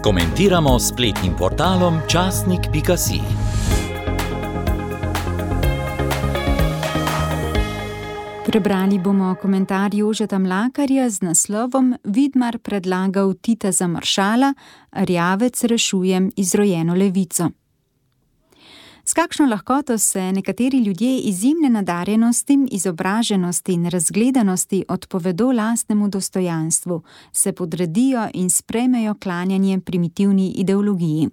Komentiramo s spletnim portalom časnik.si. Prebrali bomo komentar Jožeta Mlakarja z naslovom Vidmar predlagal Tita za maršala, Erjavec rešuje izrojeno levico. S kakšno lahkoto se nekateri ljudje izjemne nadarjenosti, izobraženosti in razgledanosti odpovedo lastnemu dostojanstvu, se podredijo in sprejmejo klanjanje primitivni ideologiji.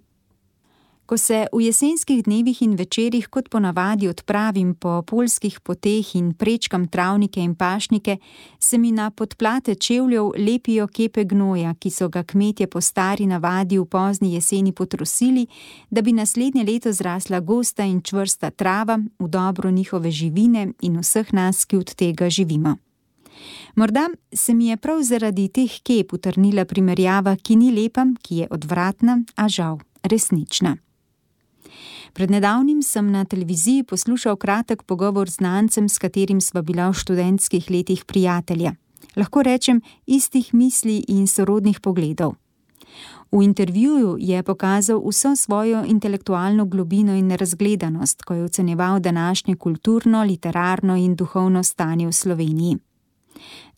Ko se v jesenskih dnevih in večerih kot ponavadi odpravim po poljskih poteh in prečkam travnike in pašnike, se mi na podplate čevljev lepijo kepe gnoja, ki so ga kmetje po stari navadi v pozni jeseni potrosili, da bi naslednje leto zrasla gosta in čvrsta trava v dobro njihove živine in vseh nas, ki od tega živimo. Morda se mi je prav zaradi teh kep utrnila primerjava, ki ni lepa, ki je odvratna, a žal resnična. Pred nedavnim sem na televiziji poslušal kratek pogovor z znancem, s katerim sva bila v študentskih letih prijatelja. Lahko rečem, istih misli in sorodnih pogledov. V intervjuju je pokazal vso svojo intelektualno globino in razgledanost, ko je ocenjeval današnje kulturno, literarno in duhovno stanje v Sloveniji.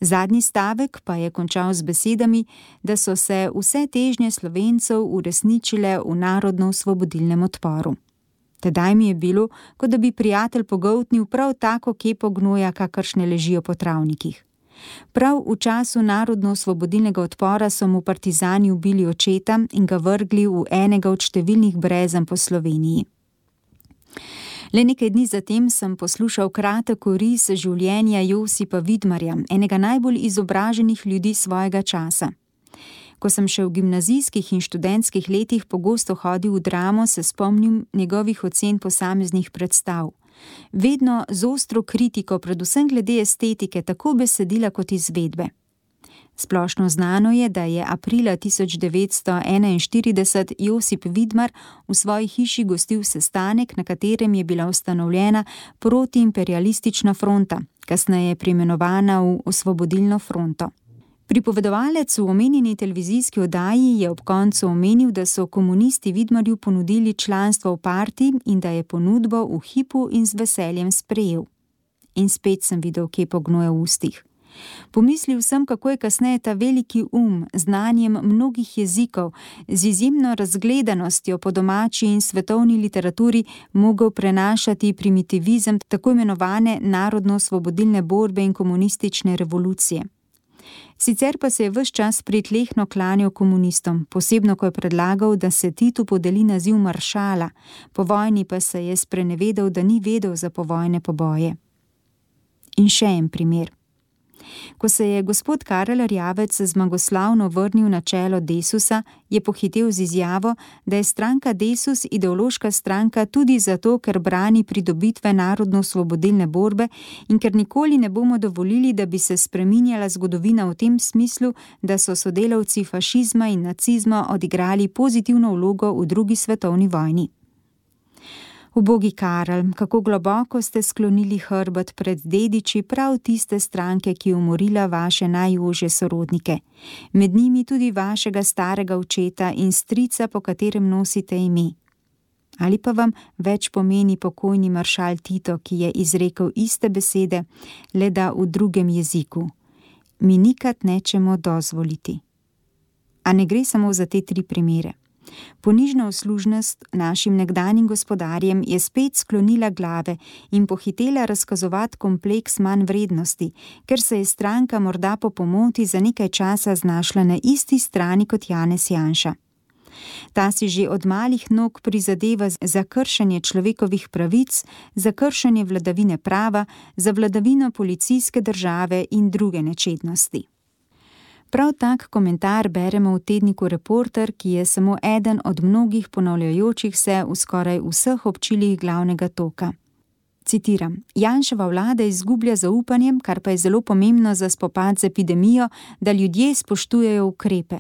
Zadnji stavek pa je končal z besedami, da so se vse težnje Slovencev uresničile v narodno-osvobodilnem odporu. Tedaj mi je bilo, kot da bi prijatelj pogoltnil prav tako kepo gnoja, kakršne ležijo po travnikih. Prav v času narodno-osvobodilnega odpora so mu partizani ubili očeta in ga vrgli v enega od številnih brezen po Sloveniji. Le nekaj dni zatem sem poslušal kratek oris življenja Josipa Vidmarja, enega najbolj izobraženih ljudi svojega časa. Ko sem še v gimnazijskih in študentskih letih pogosto hodil v Dramo, se spomnim njegovih ocen posameznih predstav. Vedno z ostro kritiko, predvsem glede estetike, tako besedila kot izvedbe. Splošno znano je, da je aprila 1941 Josip Vidmar v svoji hiši gostil sestanek, na katerem je bila ustanovljena protiimperialistična fronta, kasneje preimenovana v Osvobodilno fronto. Pripovedovalec v omenjeni televizijski oddaji je ob koncu omenil, da so komunisti Vidmarju ponudili članstvo v partiji in da je ponudbo v hipu in z veseljem sprejel. In spet sem videl kepo gnoja v ustih. Pomislil sem, kako je kasneje ta veliki znanjem mnogih jezikov, z izjemno razgledanostjo po domači in svetovni literaturi mogel prenašati primitivizem tako imenovane narodno-osvobodilne borbe in komunistične revolucije. Sicer pa se je ves čas pritlehno klanjal komunistom, posebno ko je predlagal, da se Titu podeli naziv maršala, po vojni pa se je sprenevedal, da ni vedel za povojne poboje. In še en primer. Ko se je gospod Karel Erjavec zmagoslavno vrnil na čelo Desusa, je pohitel z izjavo, da je stranka Desus ideološka stranka tudi zato, ker brani pridobitve narodno-osvobodilne borbe in ker nikoli ne bomo dovolili, da bi se spreminjala zgodovina v tem smislu, da so sodelavci fašizma in nacizma odigrali pozitivno vlogo v drugi svetovni vojni. Ubogi Karel, kako globoko ste sklonili hrbet pred dediči prav tiste stranke, ki je umorila vaše najožje sorodnike, med njimi tudi vašega starega očeta in strica, po katerem nosite ime. Ali pa vam več pomeni pokojni maršal Tito, ki je izrekel iste besede, le da v drugem jeziku. Mi nikad nečemo dozvoliti. A ne gre samo za te 3 primere. Ponižna uslužnost našim nekdanjim gospodarjem je spet sklonila glave in pohitela razkazovati kompleks manj vrednosti, ker se je stranka morda po pomoti za nekaj časa znašla na isti strani kot Janez Janša. Ta si že od malih nog prizadeva za kršenje človekovih pravic, za kršenje vladavine prava, za vladavino policijske države in druge nečednosti. Prav tak komentar beremo v tedniku Reporter, ki je samo eden od mnogih ponavljajočih se v skoraj vseh občilih glavnega toka. Citiram: Janševa vlada izgublja zaupanje, kar pa je zelo pomembno za spopad z epidemijo, da ljudje spoštujejo ukrepe.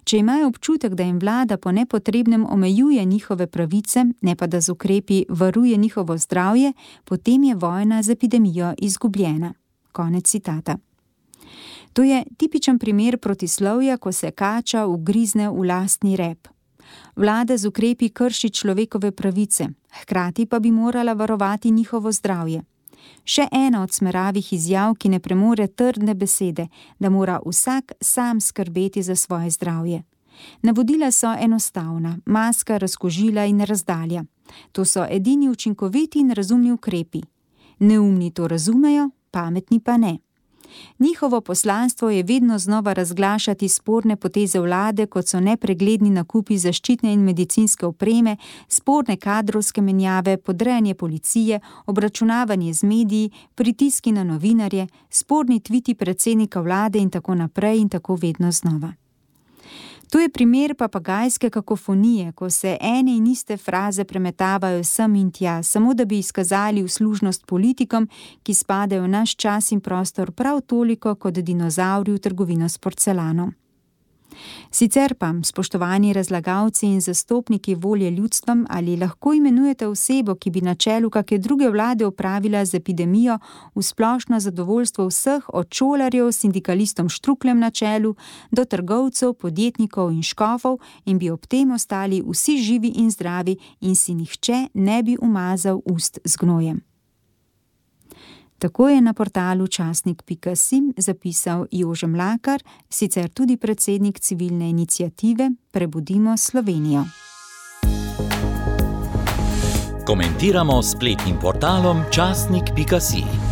Če imajo občutek, da jim vlada po nepotrebnem omejuje njihove pravice, ne pa da z ukrepi varuje njihovo zdravje, potem je vojna z epidemijo izgubljena. Konec citata. To je tipičen primer protislovja, ko se kača ugrizne v lastni rep. Vlada z ukrepi krši človekove pravice, hkrati pa bi morala varovati njihovo zdravje. Še ena od smeravih izjav, ki ne premore trdne besede, da mora vsak sam skrbeti za svoje zdravje. Navodila so enostavna, maska, razkužila in razdalja. To so edini učinkoviti in razumni ukrepi. Neumni to razumejo, pametni pa ne. Njihovo poslanstvo je vedno znova razglašati sporne poteze vlade, kot so nepregledni nakupi zaščitne in medicinske opreme, sporne kadrovske menjave, podrejanje policije, obračunavanje z mediji, pritiski na novinarje, sporni tviti predsednika vlade in tako naprej in tako vedno znova. To je primer papagajske kakofonije, ko se ene in iste fraze premetavajo sem in tja, samo da bi izkazali uslužnost politikom, ki spadajo v naš čas in prostor prav toliko kot dinozavri v trgovino s porcelanom. Sicer pa, spoštovani razlagalci in zastopniki volje ljudstvom, ali lahko imenujete osebo, ki bi na čelu kake druge vlade opravila z epidemijo v splošno zadovoljstvo vseh, od šolarjev, sindikalistom Štrukljem na čelu, do trgovcev, podjetnikov in škofov, in bi ob tem ostali vsi živi in zdravi in si nihče ne bi umazal ust z gnojem. Tako je na portalu časnik.si zapisal Jože Mlakar, sicer tudi predsednik civilne iniciative Prebudimo Slovenijo. Komentiramo s spletnim portalom časnik.si.